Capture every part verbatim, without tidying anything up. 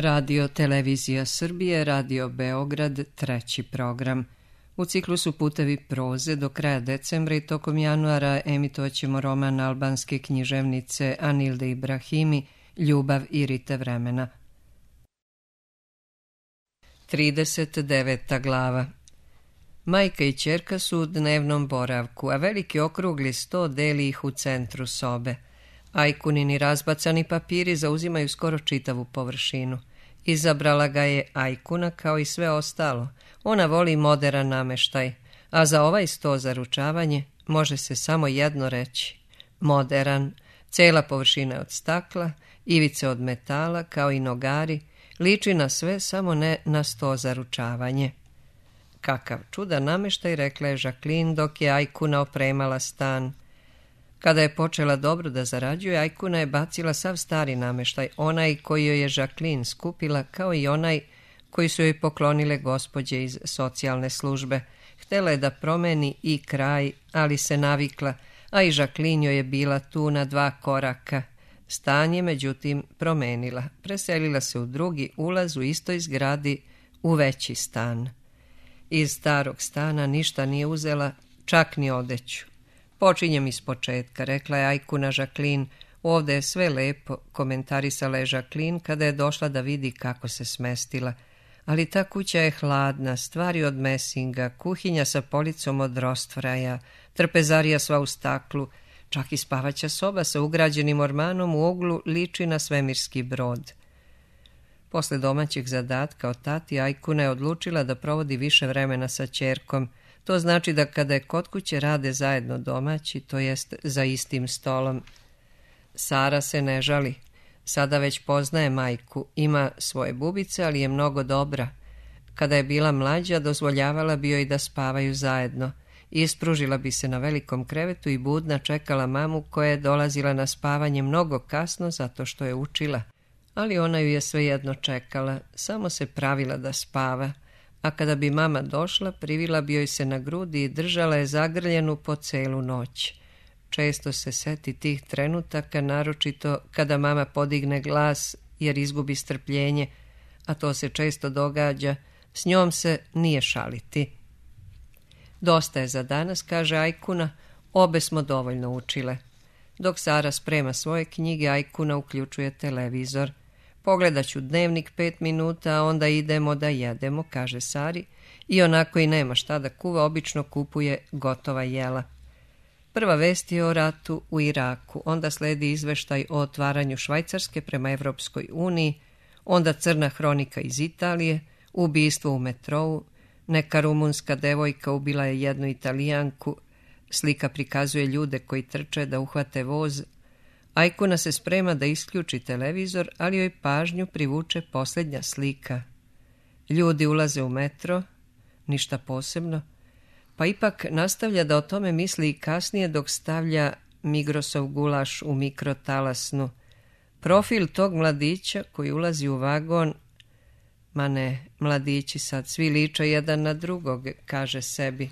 Radio Televizija Srbije, Radio Beograd, treći program. U ciklusu Putevi proze do kraja decembra i tokom januara emitovaćemo roman albanske književnice Anilde Ibrahimi Ljubav i rite vremena. trideset deveta glava. Majka i ćerka su u dnevnom boravku, a veliki okrugli sto deli ih u centru sobe. Ajkunini razbacani papiri zauzimaju skoro čitavu površinu. Izabrala ga je Ajkuna kao i sve ostalo. Ona voli moderan nameštaj, a za ovaj sto za ručavanje može se samo jedno reći. Moderan, cela površina je od stakla, ivice od metala, kao i nogari, liči na sve, samo ne na sto za ručavanje. Kakav čudan nameštaj, rekla je Žaklin dok je Ajkuna opremala stan. Kada je počela dobro da zarađuje, Ajkuna je bacila sav stari nameštaj, onaj koji joj je Žaklin skupila, kao i onaj koji su joj poklonile gospođe iz socijalne službe. Htela je da promeni i kraj, ali se navikla, a i Žaklin joj je bila tu na dva koraka. Stan je, međutim, promenila. Preselila se u drugi ulaz u istoj zgradi, u veći stan. Iz starog stana ništa nije uzela, čak ni odeću. Počinjem iz početka, rekla je Ajkuna Žaklin. Ovde je sve lepo, komentarisala je Žaklin kada je došla da vidi kako se smestila. Ali ta kuća je hladna, stvari od mesinga, kuhinja sa policom od rostvraja, trpezarija sva u staklu, čak i spavaća soba sa ugrađenim ormanom u uglu liči na svemirski brod. Posle domaćeg zadatka od tati, Ajkuna je odlučila da provodi više vremena sa ćerkom. To znači da kada je kod kuće rade zajedno domaći, to jest za istim stolom. Sara se ne žali. Sada već poznaje majku, ima svoje bubice, ali je mnogo dobra. Kada je bila mlađa, dozvoljavala bi joj da spavaju zajedno. Ispružila bi se na velikom krevetu i budna čekala mamu koja je dolazila na spavanje mnogo kasno zato što je učila. Ali ona ju je svejedno čekala, samo se pravila da spava. A kada bi mama došla, privila bi joj se na grudi i držala je zagrljenu po celu noć. Često se seti tih trenutaka, naročito kada mama podigne glas jer izgubi strpljenje, a to se često događa, s njom se nije šaliti. Dosta je za danas, kaže Ajkuna, obe smo dovoljno učile. Dok Sara sprema svoje knjige, Ajkuna uključuje televizor. Pogledat ću dnevnik pet minuta, a onda idemo da jedemo, kaže Sari, i onako i nema šta da kuva, obično kupuje gotova jela. Prva vest je o ratu u Iraku, onda sledi izveštaj o otvaranju Švajcarske prema Evropskoj uniji, onda crna hronika iz Italije, ubistvo u metrou, neka rumunska devojka ubila je jednu Italijanku, slika prikazuje ljude koji trče da uhvate voz. Ajkuna se sprema da isključi televizor, ali joj pažnju privuče posljednja slika. Ljudi ulaze u metro, ništa posebno, pa ipak nastavlja da o tome misli i kasnije dok stavlja Migrosov gulaš u mikrotalasnu. Profil tog mladića koji ulazi u vagon, ma ne, mladići sad svi liče jedan na drugog, kaže sebi.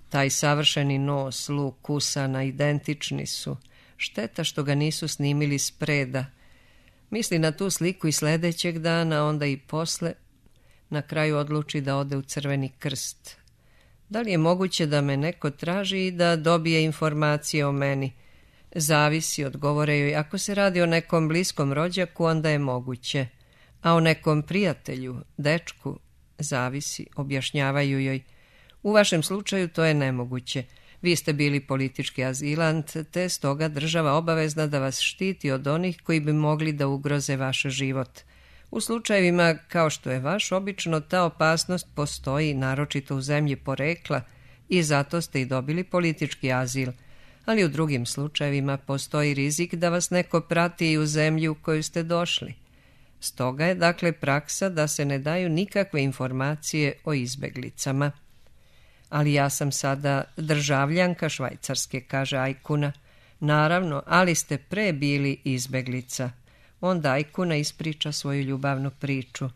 Taj savršeni nos, luk, usana, identični su. Šteta što ga nisu snimili spreda. Misli na tu sliku i sljedećeg dana, onda i posle. Na kraju odluči da ode u Crveni krst. Da li je moguće da me neko traži i da dobije informacije o meni? Zavisi, odgovore joj. Ako se radi o nekom bliskom rođaku, onda je moguće. A o nekom prijatelju, dečku, zavisi, objašnjavaju joj. U vašem slučaju to je nemoguće. Vi ste bili politički azilant, te stoga država obavezna da vas štiti od onih koji bi mogli da ugroze vaš život. U slučajevima kao što je vaš, obično ta opasnost postoji, naročito u zemlji porekla, i zato ste i dobili politički azil. Ali u drugim slučajevima postoji rizik da vas neko prati i u zemlji u koju ste došli. Stoga je dakle praksa da se ne daju nikakve informacije o izbeglicama. Ali ja sam sada državljanka Švajcarske, kaže Ajkuna. Naravno, ali ste pre bili izbeglica. Onda Ajkuna ispriča svoju ljubavnu priču.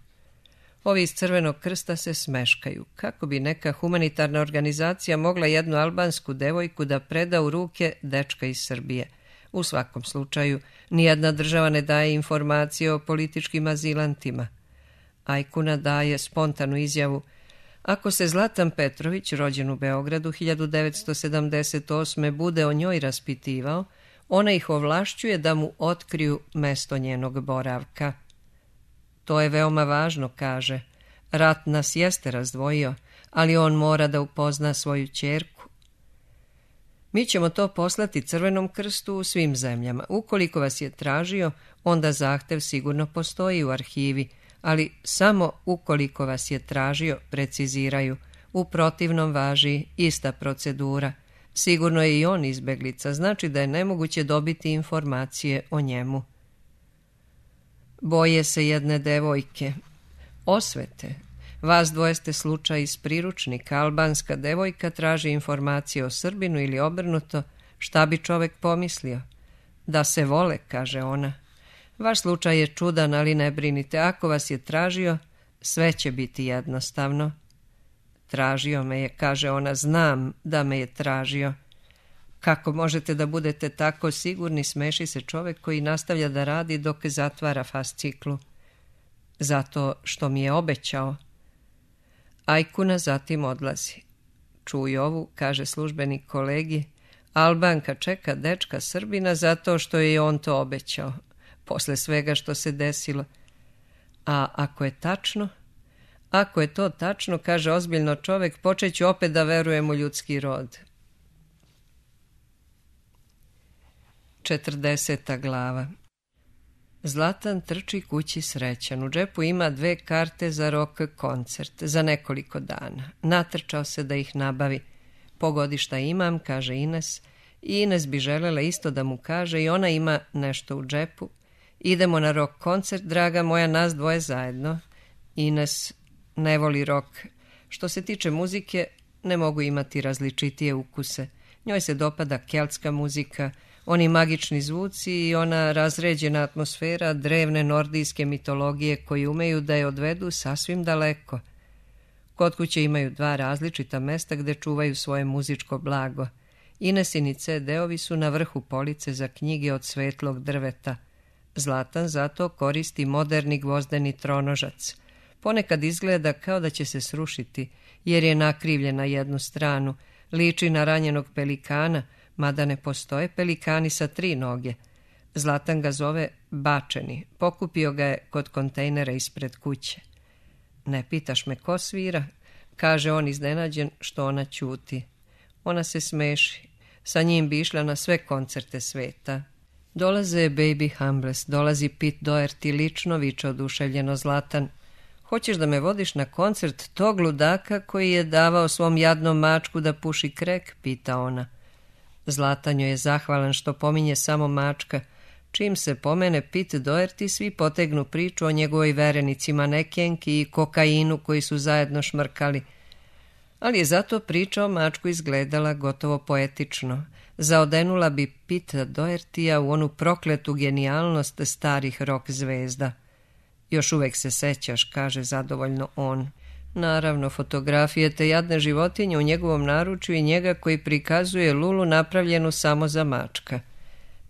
Ovi iz Crvenog krsta se smeškaju. Kako bi neka humanitarna organizacija mogla jednu albansku devojku da preda u ruke dečka iz Srbije? U svakom slučaju, nijedna država ne daje informacije o političkim azilantima. Ajkuna daje spontanu izjavu: ako se Zlatan Petrović, rođen u Beogradu hiljadu devetsto sedamdeset osme, bude o njoj raspitivao, ona ih ovlašćuje da mu otkriju mesto njenog boravka. To je veoma važno, kaže. Rat nas jeste razdvojio, ali on mora da upozna svoju ćerku. Mi ćemo to poslati Crvenom krstu u svim zemljama. Ukoliko vas je tražio, onda zahtev sigurno postoji u arhivi, ali samo ukoliko vas je tražio, preciziraju. U protivnom važi ista procedura. Sigurno je i on izbeglica, znači da je nemoguće dobiti informacije o njemu. Boje se jedne devojke. Osvete. Vas dvoje ste slučaj iz priručnika. Albanska devojka traži informacije o Srbinu ili obrnuto. Šta bi čovek pomislio? Da se vole, kaže ona. Vaš slučaj je čudan, ali ne brinite. Ako vas je tražio, sve će biti jednostavno. Tražio me je, kaže ona, znam da me je tražio. Kako možete da budete tako sigurni, smeši se čovek koji nastavlja da radi dok zatvara fasciklu. Zato što mi je obećao. Ajkuna zatim odlazi. Čuj ovu, kaže službenik kolegi, Albanka čeka dečka Srbina zato što je on to obećao, posle svega što se desilo. A ako je tačno? Ako je to tačno, kaže ozbiljno čovek, počet ću opet da verujem u ljudski rod. Četrdeseta glava. Zlatan trči kući srećan. U džepu ima dve karte za rock koncert za nekoliko dana. Natrčao se da ih nabavi. Pogodi šta imam, kaže Ines. I Ines bi želela isto da mu kaže i ona ima nešto u džepu. Idemo na rock koncert, draga moja, nas dvoje zajedno. Ines ne voli rock. Što se tiče muzike, ne mogu imati različitije ukuse. Njoj se dopada keltska muzika, oni magični zvuci i ona razređena atmosfera drevne nordijske mitologije koji umeju da je odvedu sasvim daleko. Kod kuće imaju dva različita mesta gde čuvaju svoje muzičko blago. Inesini ce de-ovi su na vrhu police za knjige od svetlog drveta. Zlatan zato koristi moderni gvozdeni tronožac. Ponekad izgleda kao da će se srušiti, jer je nakrivljen na jednu stranu, liči na ranjenog pelikana, mada ne postoje pelikani sa tri noge. Zlatan ga zove Bačeni, pokupio ga je kod kontejnera ispred kuće. Ne pitaš me ko svira, kaže on iznenađen što ona ćuti. Ona se smeši, sa njim bi išla na sve koncerte sveta. Dolaze Baby Humbles, dolazi Pete Doherty lično, viče oduševljeno Zlatan. Hoćeš da me vodiš na koncert tog ludaka koji je davao svom jadnom mačku da puši krek, pita ona. Zlatan joj je zahvalan što pominje samo mačka. Čim se pomene Pete Doherty, svi potegnu priču o njegovoj verenici manekenki i kokainu koji su zajedno šmrkali. Ali je zato priča o mačku izgledala gotovo poetično. Zaodenula bi Pete Dohertya u onu prokletu genijalnost starih rock zvezda. Još uvek se sećaš, kaže zadovoljno on. Naravno, fotografije te jadne životinje u njegovom naručju i njega koji prikazuje Lulu napravljenu samo za mačka.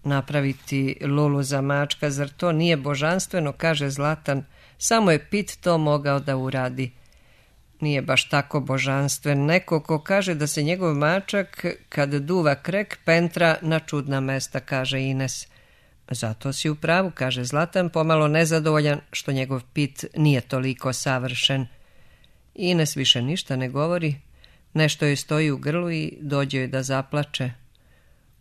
Napraviti Lulu za mačka, zar to nije božanstveno, kaže Zlatan, samo je Pete to mogao da uradi. Nije baš tako božanstven, neko ko kaže da se njegov mačak, kad duva krek, pentra na čudna mesta, kaže Ines. Zato si u pravu, kaže Zlatan, pomalo nezadovoljan što njegov Pete nije toliko savršen. Ines više ništa ne govori, nešto joj stoji u grlu i dođe joj da zaplače.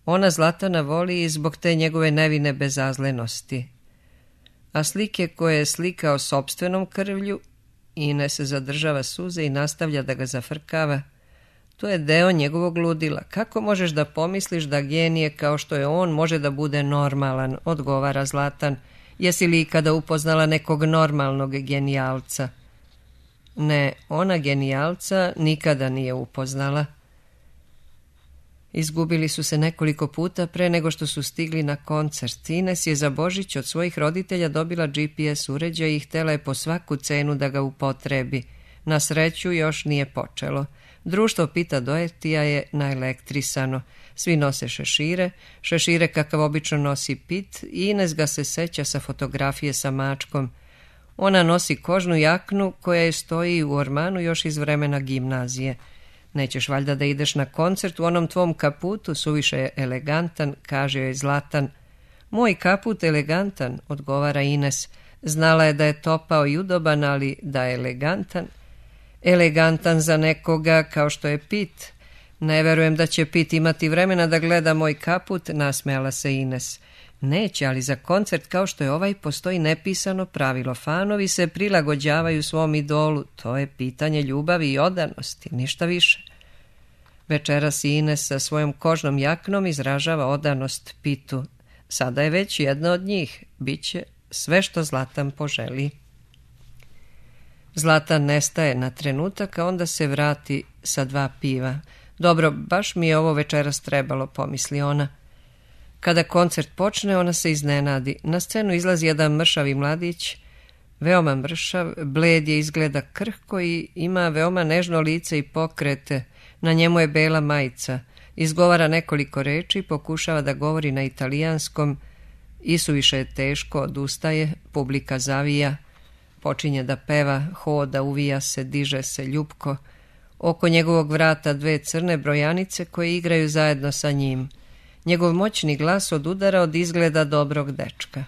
Ona Zlatana voli i zbog te njegove nevine bezazlenosti. A slike koje je slikao sopstvenom krvlju, Ines zadržava suze i nastavlja da ga zafrkava. To je deo njegovog ludila. Kako možeš da pomisliš da genije kao što je on može da bude normalan, odgovara Zlatan. Jesi li ikada upoznala nekog normalnog genijalca? Ne, ona genijalca nikada nije upoznala. Izgubili su se nekoliko puta pre nego što su stigli na koncert. Ines je za Božić od svojih roditelja dobila G P S uređaj i htela je po svaku cenu da ga upotrebi. Na sreću još nije počelo. Društvo Pita Dojetija je naelektrisano. Svi nose šešire, šešire kakav obično nosi Pit i Ines ga se seća sa fotografije sa mačkom. Ona nosi kožnu jaknu koja je stoji u ormanu još iz vremena gimnazije. Nećeš valjda da ideš na koncert u onom tvom kaputu, suviše je elegantan, kaže joj Zlatan. Moj kaput elegantan, odgovara Ines. Znala je da je topao i udoban, ali da je elegantan. Elegantan za nekoga kao što je Pit. Ne verujem da će Pit imati vremena da gleda moj kaput, nasmejala se Ines. Neće, ali za koncert kao što je ovaj postoji nepisano pravilo. Fanovi se prilagođavaju svom idolu. To je pitanje ljubavi i odanosti, ništa više. Večeras Ines sa svojom kožnom jaknom izražava odanost Pitu. Sada je već jedna od njih. Biće sve što Zlatan poželi. Zlatan nestaje na trenutak, a onda se vrati sa dva piva. Dobro, baš mi je ovo večeras trebalo, pomisli ona. Kada koncert počne, ona se iznenadi. Na scenu izlazi jedan mršavi mladić, veoma mršav, bled je, izgleda krhko i ima veoma nežno lice i pokrete. Na njemu je bela majica. Izgovara nekoliko reči, pokušava da govori na italijanskom. Isuviše je teško, odustaje, publika zavija. Počinje da peva, hoda, uvija se, diže se ljupko. Oko njegovog vrata dve crne brojanice koje igraju zajedno sa njim. Njegov moćni glas odudara od izgleda dobrog dečka.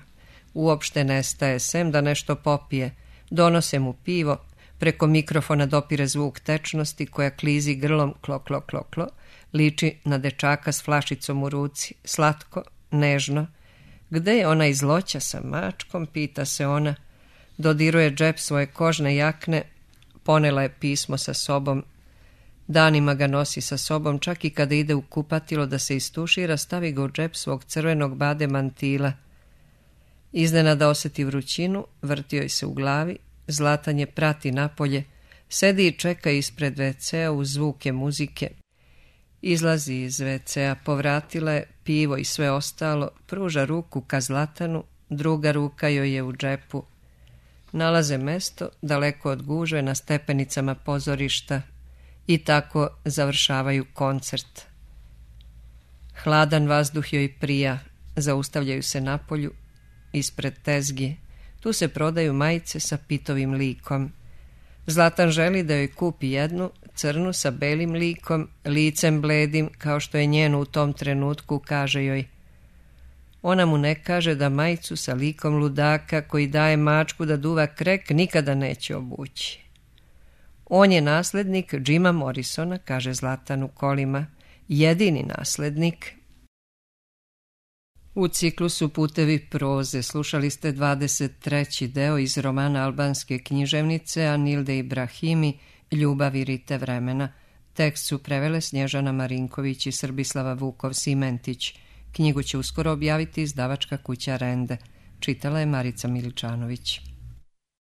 Uopšte nestaje, sem da nešto popije. Donose mu pivo, preko mikrofona dopire zvuk tečnosti koja klizi grlom klo, klo, klo, klo. Liči na dečaka s flašicom u ruci. Slatko, nežno. Gde je ona izloća sa mačkom, pita se ona. Dodiruje džep svoje kožne jakne, ponela je pismo sa sobom. Danima ga nosi sa sobom, čak i kada ide u kupatilo da se istušira, stavi ga u džep svog crvenog bade mantila. Iznenada osjeti vrućinu, vrti joj se u glavi, Zlatan je prati napolje, sedi i čeka ispred ve cea uz zvuke muzike. Izlazi iz ve cea, povratila je pivo i sve ostalo, pruža ruku ka Zlatanu, druga ruka joj je u džepu. Nalaze mesto, daleko od gužve, na stepenicama pozorišta i tako završavaju koncert. Hladan vazduh joj prija, zaustavljaju se napolju, ispred tezgi. Tu se prodaju majice sa Pitovim likom. Zlatan želi da joj kupi jednu, crnu sa belim likom, licem bledim, kao što je njeno u tom trenutku, kaže joj. Ona mu ne kaže da majicu sa likom ludaka koji daje mačku da duva krek nikada neće obući. On je naslednik Jima Morrisona, kaže Zlatan u kolima, jedini naslednik. U ciklusu Putevi proze slušali ste dvadeset treći deo iz romana albanske književnice Anilde Ibrahimi Ljubav i rite vremena. Tekst su prevele Snježana Marinković i Srbislava Vukov-Simentić. Knjigu će uskoro objaviti izdavačka kuća Rende. Čitala je Marica Miličanović.